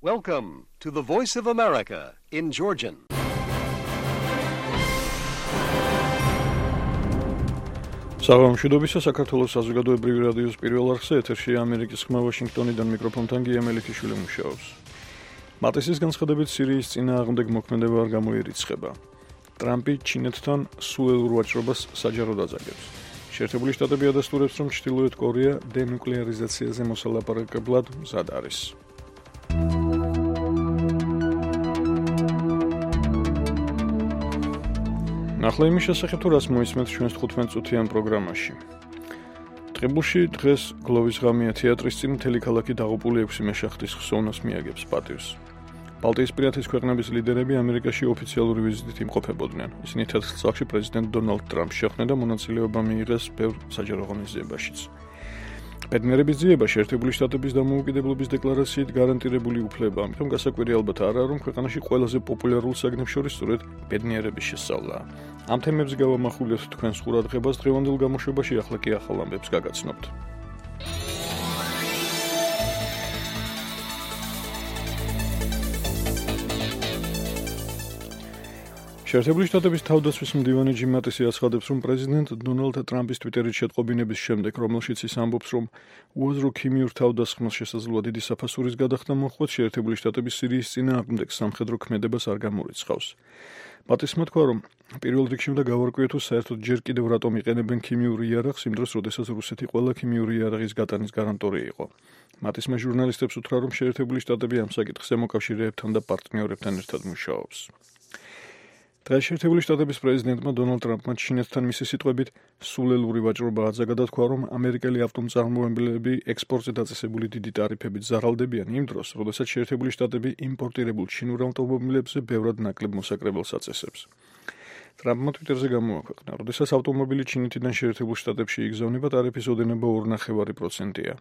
Welcome to the Voice of America in Georgian. საღამოშვიდობისა საქართველოს საზოგადოებრივი რადიოს პირველ არხზე ეთერში ამერიკის ხმა ვაშინგტონიდან მიკროფონთან გიემელიშვილი მუშაობს. მატისის განცხადებით სირიის წინააღმდეგ მოქმედება არ გამოირიცხება. ტრამპი ჩინეთთან სულელურ ვაჭრობას საჯაროდ აძაგებს. შეერთებული შტატები ადასტურებს, რომ ჩრდილოეთ კორეა დენუკლეარიზაციაზე მოსალაპარაკებლად მზად არის. ნახლა იმის შესახებ, თუ რას მოისმენთ ჩვენს 15 წუთიან პროგრამაში. ტყიბულში დღეს გლოვის ღამეა თეატრის წინ მთელი ქალაქი დაღუპული 6 მეშახტის ხსოვნას მიაგებს პატივს. ბალტიისპირეთის ქვეყნების ლიდერები ამერიკაში ოფიციალური ვიზიტით იმყოფებოდნენ. ისინი თეთრ წახში პრეზიდენტ დონალდ ტრამპს შეხვდნენ და მონაწილეობა მიიღეს ბევრ საჯარო ღონისძიებაშიც. ბედნიერების ძიება შეერთებული შტატების დამოუკიდებლობის დეკლარაციით გარანტირებული უფლებაა, ამიტომ გასაკვირი ალბათ არაა, რომ ქვეყანაში ყველაზე პოპულარულ საგნებს შორის სწორედ ბედნიერების შესწავლაა. ამ თემებს გავამახვილებთ თქვენს ყურადღებას დღევანდელ გამოშვებაში, ახლა კი ახალ ამბებს გაგაცნობთ. შეერთებული შტატების თავდაცვის მდივანი ჯიმ მატისი აცხადებს, რომ პრეზიდენტ დონალდ ტრამპის ტვიტერით შეტყობინების შემდეგ, რომელშიც ის ამბობს, რომ უაზრო ქიმიურ თავდასხმას შესაძლოა დიდი საფასურის გადახდა მოჰყვეთ, შეერთებული შტატების სირიის წინააღმდეგ სამხედრო ქმედებას არ გამორიცხავს. მატისმა თქვა, რომ პირველ რიგში უნდა გავარკვიოთ, თუ საერთოდ ჯერ კიდევ რატომ იყენებენ ქიმიური იარაღს იმ დროს, როდესაც რუსეთი ყველა ქიმიური იარაღის გატანის გარანტორი იყო. მატისმა ჟურნალისტებს უთხრა, რომ შეერთებული შტატები ამ საკითხს ემოკავშირეებთან და პარტნიორებთან ერთად მუშაობს. დღეს შეერთებული შტატების პრეზიდენტმა დონალდ ტრამპმა ჩინეთთან მისი სიტყვებით სულელური ვაჭრობა აძაგა და თქვა, რომ ამერიკელი ავტომწარმოებლები ექსპორტზე დაწესებული დიდი ტარიფებით ზარალდებიან იმ დროს, როდესაც შეერთებული შტატები იმპორტირებულ ჩინურ ავტომობილებზე ბევრად ნაკლებ მოსაკრებელს აწესებს. ტრამპმა ტვიტერზე გამოაქვეყნა, როდესაც ავტომობილი ჩინეთიდან შეერთებულ შტატებში იგზავნება, ტარიფის ოდენობა 2.5%-ია.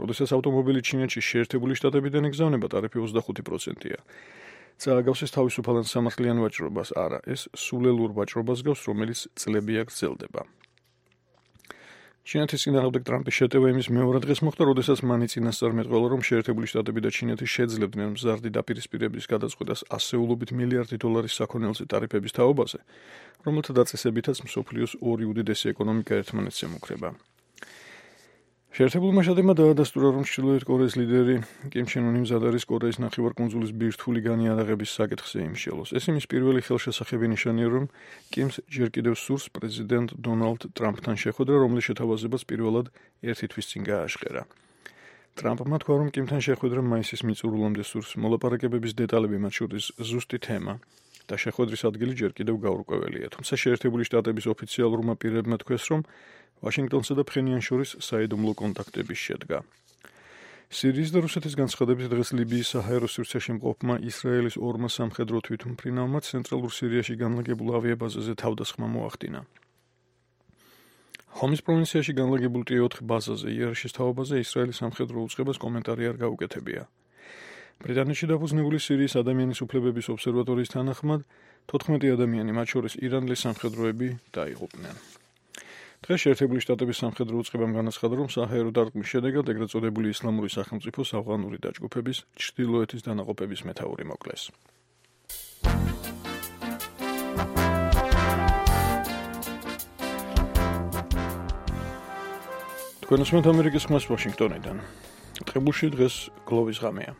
როდესაც ავტომობილი ჩინეთში შეერთებული შტატებიდან იგზავნება, ტარიფი 25%-ია. წააგავს თავისუფალ სამართლიან ვაჭრობას, არა, ეს სულელურ ვაჭრობას გავს, რომელიც წლები აქ გრძელდება. ჩინეთის წინააღმდეგ ტრამპის შეტევა იმის მეორე დღეს მოხდა, როდესაც მან წინასწარ მეტყველა, რომ შეერთებული შტატები და ჩინეთი შეძლებდნენ მზარდი დაპირისპირების გადაწყვეტას ასეულობით მილიარდი დოლარის საქონელზე ტარიფების თაობაზე, რომელთა დაწესებითაც მსოფლიოს ორი უდიდესი ეკონომიკა ერთმანეთს ემუქრება. შეერთებულმა შტატებმა დაადასტურა, რომ ჩრდილოეთ კორეის ლიდერი კიმ ჩენ უნი მზად არის კორეის ნახევარკუნძულის ბირთვული განიარაღების საკითხზე იმშელოს. ეს იმის პირველი ხელშესახები ნიშანია, რომ კიმს ჯერ კიდევ სურს პრეზიდენტ დონალდ ტრამპთან შეხვედრა, რომლის შეთავაზებას პირველად ერთი თვის წინ გააშყერა. ტრამპმა თქვა, რომ კიმთან შეხვედრა მაისის მიწურულამდე სურს, მოლაპარაკებების დეტალები, მათ შორის ზუსტი თემა და შეხვედრის ადგილი ჯერ კიდევ გაურკვეველია. თუმცა შეერთებული შტატების ოფიციალურმა პირებმა თქვეს, რომ ვაშინგტონსა და ფხენიანს შორის საიდუმლო კონტაქტები შედგა. სირიის და რუსეთის განცხადებით დღეს ლიბიის საჰაერო სივრცეში მყოფმა ისრაელის ორმა სამხედრო თვითმფრინავმა ცენტრალურ სირიაში განლაგებულ ავიაბაზაზე თავდასხმა მოახდინა. ჰომის პროვინციაში განლაგებულ T4 ბაზაზე იარიშის თაობაზე ისრაელის სამხედრო უწყებას კომენტარი არ გაუკეთებია. ბრიტანეთში დაფუძნებული სირიის ადამიანის უფლებების ობსერვატორიის თანახმად 14 ადამიანი, მათ შორის ირანელი სამხედროები დაიღუპნენ. დღეს შეერთებული შტატების სამხედრო უწყებამ განაცხადა, რომ საჰაერო დარტყმის შედეგად ეგრეთ წოდებული ისლამური სახელმწიფოს ავღანური დაჯგუფების ჩრდილოეთის დანაყოფების მეთაური მოკლეს. თქვენ უსმენთ ამერიკის ხმას ვაშინგტონიდან. ტყიბულში დღეს გლოვის ღამეა.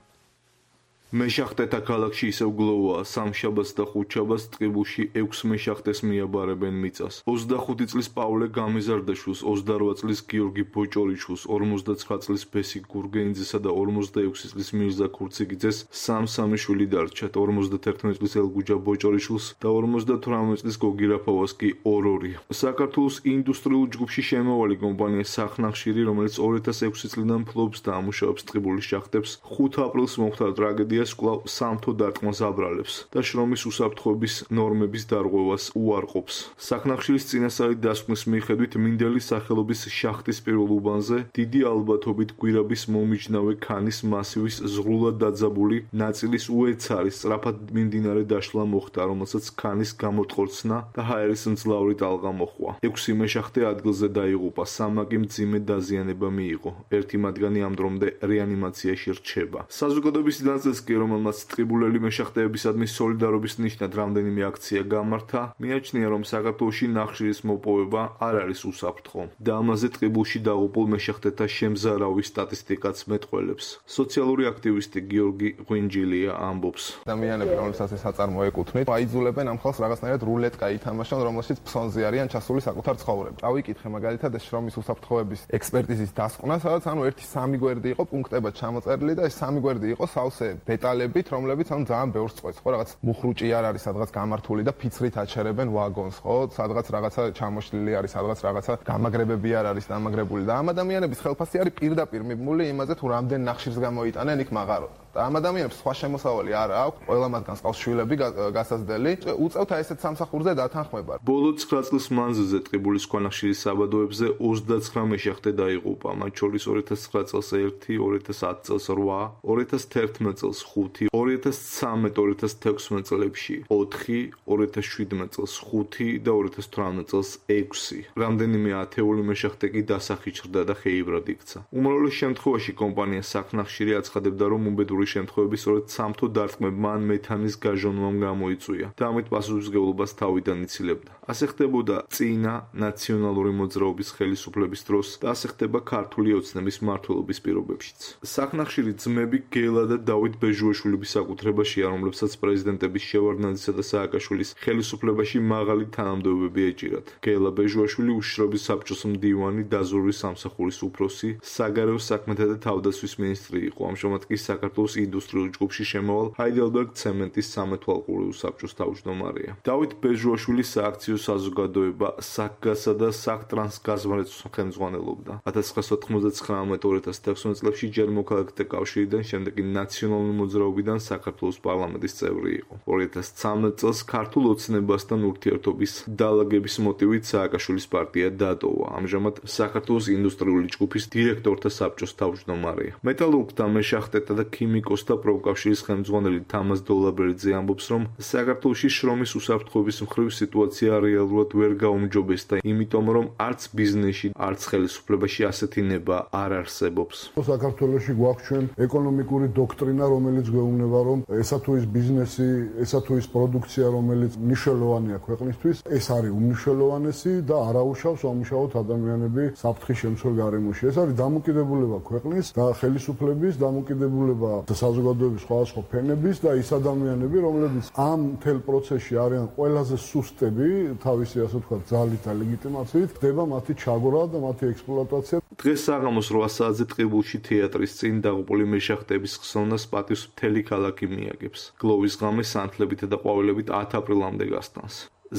მეშახტეთა ქალაქში ისევ გლოვაა, სამშაბათს და ხუთშაბათს ტყიბულში 6 მეშახტეს მიაბარებენ მიწას. 25 წლის პავლე გამიზარდაშვილს, 28 წლის გიორგი ბოჭორიჩვილს, 59 წლის ბესი გურგენიძესა და 46 წლის მირზა ქურციგიძეს სამ-სამი შვილი დარჩათ. 51 წლის ელგუჯა ბოჭორიჩვილს და 58 წლის გოგი რაფავას კი ორ-ორი. საქართველოს ინდუსტრიულ ჯგუფში შემავალი კომპანია სახნახშირი, რომელიც 2006 წლიდან ფლობს და ამუშავებს ტყიბულის შახტებს, 5 აპრილს მოხდა ტრაგედია კვლავ სამთო დარტყმას აბრალებს და შრომის უსაფრთხოების ნორმების დარღვევას უარყოფს. სახნახშირის წინასწარი დასკვნის მიხედვით მინდელის სახელობის შახტის პირველ უბანზე დიდი ალბათობით გვირაბის მომიჯნავე ქანის მასივის ზღვრულად დაძაბული ნაწილის უეცარი სწრაფად მიმდინარე დაშლა მოხდა, რომელსაც ქანის გამორტყორცნა და ჰაერის მძლავრი ტალღა მოჰყვა. 6 მეშახტე ადგილზე დაიღუპა, 3 კი მძიმე დაზიანება მიიღო. ერთი მათგანი ამ დრომდე რეანიმაციაში რჩება. საზოგადოების ნაწილს ზელენსკი, რომელმაც ტყიბულელი მეშახტეებისადმი სოლიდარობის ნიშნად რამდენიმე აქცია გამართა, მიაჩნია, რომ საქართველოში ნახშირის მოპოვება არ არის უსაფრთხო და ამაზე ტყიბულში დაღუპულ მეშახტეთა შემზარავის სტატისტიკაც მეტყველებს. სოციალური აქტივისტი გიორგი ღვინჯილია ამბობს. ადამიანები, რომლებსაც ეს აწარმო ეკუთვნით, აიძულებენ ამ ხალხს რაღაცნაირად რულეტკა ითამაშონ, რომელშიც ფსონზე არიან ჩასული საკუთარ ცხოვრებაში. წავიკითხე მაგალითად ეს შრომის უსაფრთხოების ექსპერტიზის დასკვნა, სადაც ანუ 1-3 გვერდი იყო პუნქტებად ჩამოწერილი და ეს 3 გვერდი იყო სავსე დეტალებით, რომლებიც ანუ ძალიან ბევრს წყვეტს, ხო, რაღაც მუხრუჭი არ არის სადღაც გამართული და ფიცრით აჩერებენ ვაგონს, ხო, სადღაც რაღაცა ჩამოშლილი არის, სადღაც რაღაცა გამაგრებები არ არის დამაგრებული და ამ ადამიანების ხელფასი არის პირდაპირ მიბმული იმაზე, თუ რამდენ ნახშირს გამოიტანენ იქ მაღაროთ. და ამ ადამიანებს სხვა შემოსავალი არ აქვს, ყველა მათგანს ყავს შვილები გასაზრდელი, უწევთ აი ესეთ სამსახურზე დათანხმება. ბოლო 9 წლის მანძილზე ტყიბულის ქვანახშირის საბადოებზე 29 მეშახტე დაიღუპა, მათ შორის 2009 წელს 1, 2010 წელს 8, 2011 წელს 5, 2013, 2016 წლებში 4, 2017 წელს 5 და 2018 წელს 6. რამდენიმე ათეული მეშახტე კი დასახი ჩრდა და ხეიბრად იქცა. უმრავლეს შემთხვევაში კომპანია საქნახშირი აცხადებდა, რომ უბედური შემთხვევები სწორედ სამთო დარტყმებმა ან მეთანის გაჟონვამ გამოიწვია და ამით პასუხისმგებლობას თავიდან იცილებდა. ასე ხდებოდა წინა ნაციონალური მოძრაობის ხელისუფლების დროს და ასე ხდება ქართული ოცნების მმართველობის პირობებშიც. საქნახშირი ძმები გელა და დავით ბეჟუაშვილების საკუთრებაშია, რომლებსაც პრეზიდენტების შევარდნაძისა და სააკაშვილის ხელისუფლებაში მაღალი თანამდებობები ეჭირათ. გელა ბეჟუაშვილი უშიშროების საბჭოს მდივანი, დაზვერვის სამსახურის უფროსი, საგარეო საქმეთა და თავდაცვის მინისტრი იყო. ამჟამად კი საქართველოს ინდუსტრიულ ჯგუფში შემავალ ჰაიდელბერგ ცემენტის სამეთვალყურეო საბჭოს თავმჯდომარეა. დავით ბეჟუაშვილის სააქციო საზოგადოება საქგასა და საქტრანსგაზმრეთს ხელმძღვანელობდა. 1999-2016 წლებში ჯერ მოქალაქეთა კავშირიდან, შემდეგ კი ნაციონალური მოძრაობიდან საქართველოს პარლამენტის წევრი იყო. 2013 წელს ქართულ ოცნებასთან ურთიერთობის დალაგების მოტივით სააკაშვილის პარტია დატოვა. ამჟამად საქართველოს ინდუსტრიული ჯგუფის დირექტორთა საბჭოს თავმჯდომარეა. მეტალურგთა, მეშახტეთა და ქიმიკოსთა პროფკავშირის ხელმძღვანელი თამაზ დოლაბერიძე ამბობს, რომ საქართველოში შრომის უსაფრთხოების მხრივ სიტუაცია რეალურად ვერ გაუმჯობესდა, იმიტომ რომ არც ბიზნესში, არც ხელისუფლებაში ასეთი ნება არ არსებობს. საქართველოში გვაქვს ჩვენ ეკონომიკური დოქტრინა, რომელიც გვეუბნება, რომ ესა თუ ის ბიზნესი, ესა თუ ის პროდუქცია, რომელიც მნიშვნელოვანია ქვეყნისთვის, ეს არის უმნიშვნელოვანესი და არაუშავს ამუშავოთ ადამიანები საფრთხის შემცველ გარემოში. ეს არის დამოკიდებულება ქვეყნის და ხელისუფლების, დამოკიდებულება საზოგადოების სხვადასხვა ფენების და ის ადამიანები, რომლებიც ამ მთელ პროცესში არიან ყველაზე სუსტები, თავისი ასე ვთქვათ, ძალით და ლეგიტიმაციით, ხდება მათი ჩაგვრა და მათი ექსპლუატაცია. დღეს საღამოს 8 საათზე ტყიბულში თეატრის წინ დაღუპული მეშახტეების ხსოვნას პატივს მთელი ქალაქი მიაგებს. გლოვის ღამე სანთლებით და ყვავილებით 10 აპრილამდე გასტანს.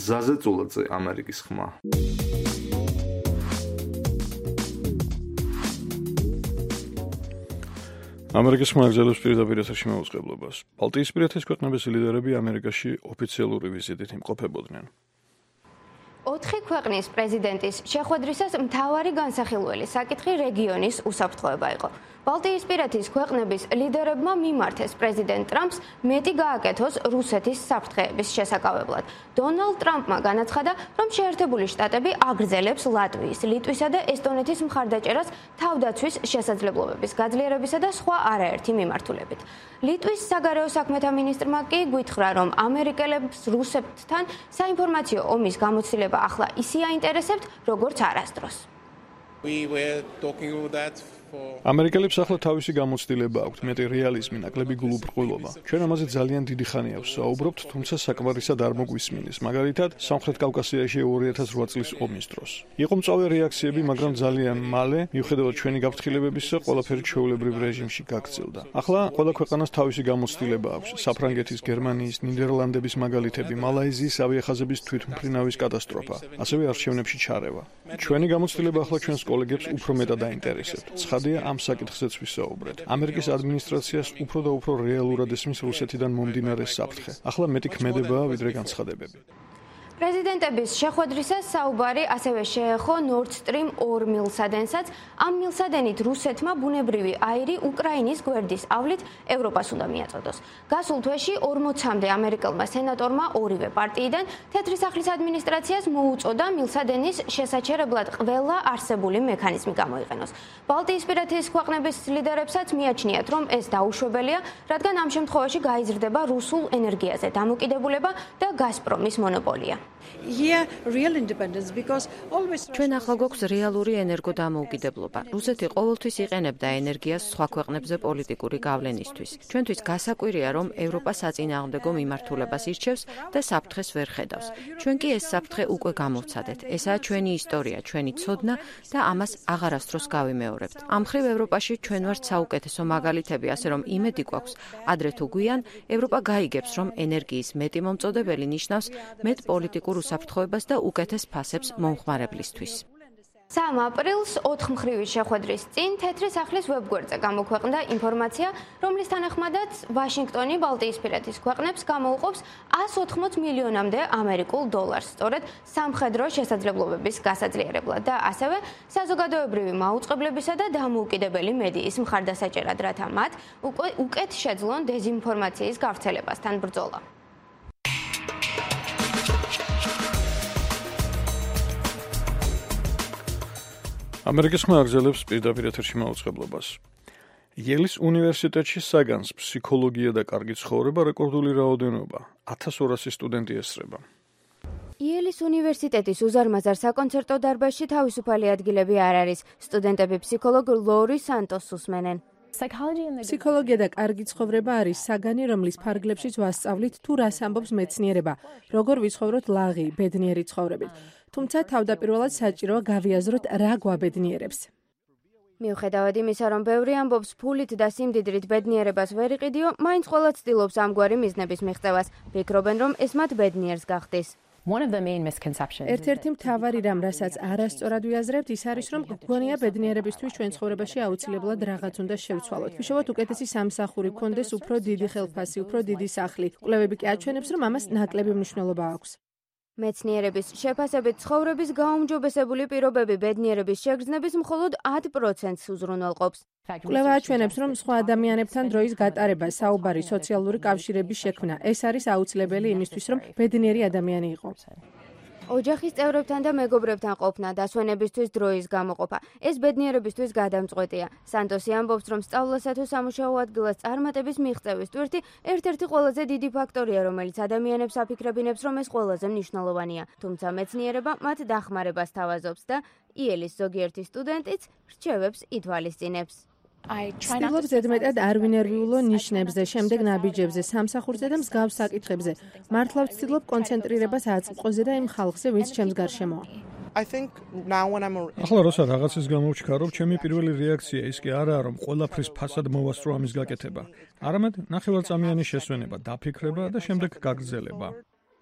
ზაზე წულაძე, ამერიკის ხმა. ამერიკის ხმა გზელობს პირდაპირ ეთერში მოუწყებლობას. ბალტიისპირეთის ქვეყნების ლიდერები ამერიკაში ოფიციალური ვიზიტით იმყოფებოდნენ. 4 ქვეყნის პრეზიდენტის შეხვედრისას მთავარი განსახილველი საკითხი რეგიონის უსაფრთხოება იყო. ბალტიისპირეთის ქვეყნების ლიდერებმა მიმართეს პრეზიდენტ ტრამპს მეტი გააკეთოს რუსეთის საფრთხეების შესაკავებლად. დონალდ ტრამპმა განაცხადა, რომ შეერთებული შტატები აგრძელებს ლატვიის, ლიტვისა და ესტონეთის მხარდაჭერას თავდაცვის შესაძლებლობების გაძლიერებისა და სხვა არაერთი მიმართულებით. ლიტვის საგარეო საქმეთა მინისტრმა კი გვითხრა, რომ ამერიკელებს რუსებთან საინფორმაციო ომის გამოცდილება ახლა ისე აინტერესებთ, როგორც არასდროს. ამერიკელებს ახლა თავისი გამოცდილება აქვთ, მეტი რეალიზმი, ნაკლები გულუბრყვილობა. ჩვენ ამაზე ძალიან დიდი ხანია ვსაუბრობთ, თუმცა საკმარისად არ მოგვისმინეს. მაგალითად, სამხრეთ კავკასიაში 2008 წლის ომის დროს. იყო მწვავე რეაქციები, მაგრამ ძალიან მალე, მიუხედავად ჩვენი გაფრთხილებებისა, ყველაფერი ჩვეულებრივ რეჟიმში გაგრძელდა. ახლა ყველა ქვეყანას თავისი გამოცდილება აქვს. საფრანგეთის, გერმანიის, ნიდერლანდების მაგალითები, მალაიზიის ავიახაზების თვითმფრინავის კატასტროფა, ასევე არჩევნებში ჩარევა. ჩვენი გამოცდილება ახლა ჩვენს კოლეგებს უფრო მეტად აინტერესებთ. ცხადია, ამ საკითხზეც ვისაუბრეთ. ამერიკის ადმინისტრაციას უფრო და უფრო რეალურად ესმის რუსეთიდან მომდინარე საფრთხე. ახლა მეტი ქმედებაა, ვიდრე განცხადებები. პრეზიდენტების შეხვედრისას საუბარი ასევე შეეხო Nord Stream 2 მილსადენსაც. ამ მილსადენით რუსეთმა ბუნებრივი აირი უკრაინის გვერდის ავლით ევროპას უნდა მიაწოდოს. გასულ თვეში 40-მდე ამერიკელმა სენატორმა ორივე პარტიიდან თეთრი სახლის ადმინისტრაციას მოუწოდა მილსადენის შესაჩერებლად ყველა არსებული მექანიზმი გამოიყენოს. ბალტიისპირეთის ქვეყნების ლიდერებსაც მიაჩნიათ, რომ ეს დაუშვებელია, რადგან ამ შემთხვევაში გაიზრდება რუსულ ენერგიაზე დამოკიდებულება და გაზპრომის მონოპოლია. ჩვენ ახლა გვაქვს რეალური ენერგო დამოუკიდებლობა. რუსეთი ყოველთვის იყენებდა ენერგიას სხვა ქვეყნებზე პოლიტიკური გავლენისთვის. ჩვენთვის გასაკვირია, რომ ევროპა საწინააღმდეგო მიმართულებას ირჩევს და საფრთხეს ვერ ხედავს. ჩვენ კი ეს საფრთხე უკვე გამოვცადეთ. ესაა ჩვენი ისტორია, ჩვენი ცოდნა და ამას აღარასდროს გავიმეორებთ. ამ მხრივ ევროპაში ჩვენ ვართ საუკეთესო მაგალითები, ასე რომ იმედი გვაქვს, ადრე თუ გვიან ევროპა გაიგებს, რომ ენერგიის მეტი მომწოდებელი ნიშნავს მეტ პოლიტიკურ უსაფრთხოებას და უკეთეს ფასებს მომხმარებლისთვის. 3 აპრილს 4 მხრივის შეხვედრის წინ თეთრი სახლის ვებგვერდზე გამოქვეყნდა ინფორმაცია, რომლის თანახმადაც ვაშინგტონი ბალტიისპირეთის ქვეყნებს გამოუყოფს 180 მილიონამდე ამერიკულ დოლარს, სწორედ სამხედრო შესაძლებლობების გასაძლიერებლად და ასევე საზოგადოებრივი მაუწყებლებისა და დამოუკიდებელი მედიის მხარდასაჭერად, რათა მათ უკეთ შეძლონ დეზინფორმაციის გავრცელებასთან ბრძოლა. ამერიკის ხმა აგრძელებს პირდაპირ ეთერში მაუწყებლობას. იელის უნივერსიტეტში საგანს ფსიქოლოგია და კარგი ცხოვრება რეკორდული რაოდენობა 1200 სტუდენტი ესწრება. იელის უნივერსიტეტის უზარმაზარ საკონცერტო დარბაზში თავისუფალი ადგილები არ არის. სტუდენტები ფსიქოლოგ ლორი სანტოსს უსმენენ. ფსიქოლოგია და კარგი ცხოვრება არის საგანი, რომლის ფარგლებშიც ვასწავლით თუ რას ამბობს მეცნიერება, როგორ ვიცხოვროთ ლაღი, ბედნიერი ცხოვრებით. თუმცა თავდაპირველად საჭიროა გავიაზროთ რა გვაბედნიერებს. მიუხედავად იმისა, რომ ბევრი ამბობს ფულით და სიმდიდრით ბედნიერებას ვერ იყიდიო, მაინც ყველა ცდილობს ამგვარი მიზნების მიღწევას. ფიქრობენ, რომ ეს მათ ბედნიერს გახდის. ერთ-ერთი მთავარი რამ, რასაც არასწორად ვიაზრებთ, ის არის, რომ გგონია ბედნიერებისთვის ჩვენ ცხოვრებაში აუცილებლად რაღაც უნდა შევცვალოთ. ვიშოვოთ უკეთესი სამსახური, გქონდეს უფრო დიდი ხელფასი, უფრო დიდი სახლი. კვლევები კი აჩვენებს, რომ ამას ნაკლები მნიშვნელობა აქვს. მეცნიერების შეფასებით ცხოვრების გაუმჯობესებული პირობები ბედნიერების შეგრძნების მხოლოდ 10%-ს უზრუნველყოფს. კვლევა აჩვენებს, რომ სხვა ადამიანებთან დროის გატარება, საუბარი, სოციალური კავშირების შექმნა, ეს არის აუცილებელი იმისთვის, რომ ბედნიერი ადამიანი იყო. ოჯახის წევრებთან და მეგობრებთან ყოფნა, დასვენებისთვის დროის გამოყოფა. ეს ბედნიერებისთვის გადამწყვეტია. სანტოსი ამბობს, რომ სწავლასა თუ სამუშაო ადგილას წარმატების მიღწევის ტვირთი ერთ-ერთი ყველაზე დიდი ფაქტორია, რომელიც ადამიანებს აფიქრებინებს, რომ ეს ყველაზე მნიშვნელოვანია. თუმცა მეცნიერება მათ დახმარებას თავაზობს და იელის ზოგიერთი სტუდენტიც რჩევებს ითვალისწინებს. ვცდილობ ზედმეტად არ ვინერვიულო ნიშნებზე, შემდეგ ნაბიჯებზე, სამსახურზე და მსგავს საკითხებზე. მართლა ვცდილობ კონცენტრირებას აწმყოზე და იმ ხალხზე, ვინც ჩემს გარშემოა. ახლა როცა რაღაცის გამოვჩქარობ, ჩემი პირველი რეაქცია ის კი არაა, რომ ყველაფრის ფასად მოვასწრო ამის გაკეთება. არამედ ნახევარწამიანი შესვენება, დაფიქრება და შემდეგ გაგრძელება.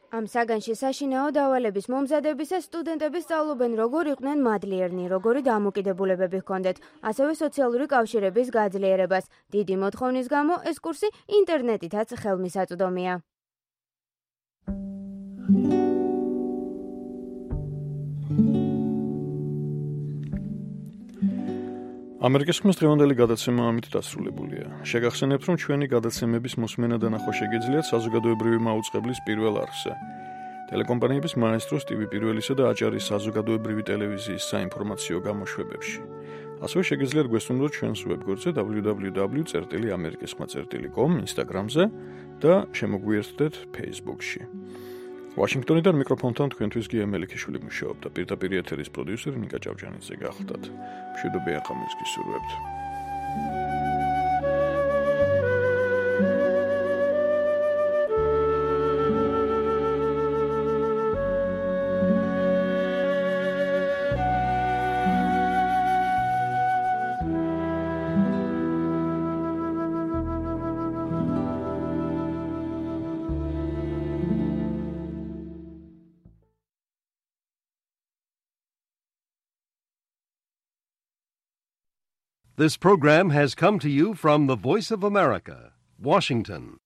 ამ საგანში საშინაო დავალების მომზადებისას სტუდენტები სწავლობენ, როგორ იყვნენ მადლიერნი, როგორი დამოკიდებულებები ჰქონდეთ, ასევე სოციალური კავშირების გაძლიერებას. დიდი მოთხოვნის გამო ეს კურსი ინტერნეტითაც ხელმისაწვდომია. ამერიკის ხმის დღევანდელი გადაცემა ამით დასრულებულია. შეგახსენებთ, რომ ჩვენი გადაცემების მოსმენა და ნახვა შეგიძლიათ საზოგადოებრივი მაუწყებლის პირველ არხზე. ტელეკომპანიების მაესტროს TV პირველისა და აჭარის საზოგადოებრივი ტელევიზიის საინფორმაციო გამოშვებებში. ასევე შეგიძლიათ გვესტუმროთ ჩვენს ვებგვერდზე www.amerikiskhma.com, Instagram-ზე და შემოგვიერთდეთ Facebook-ში. ვაშინგტონიდან მიკროფონთან თქვენთვის გია მელიქიშვილი მუშაობდა. პირდაპირ ეთერის პროდიუსერი ნიკა ჭავჭანიძე გახლდათ. მშვიდობიან ახამეს გისურვებთ. This program has come to you from the Voice of America, Washington.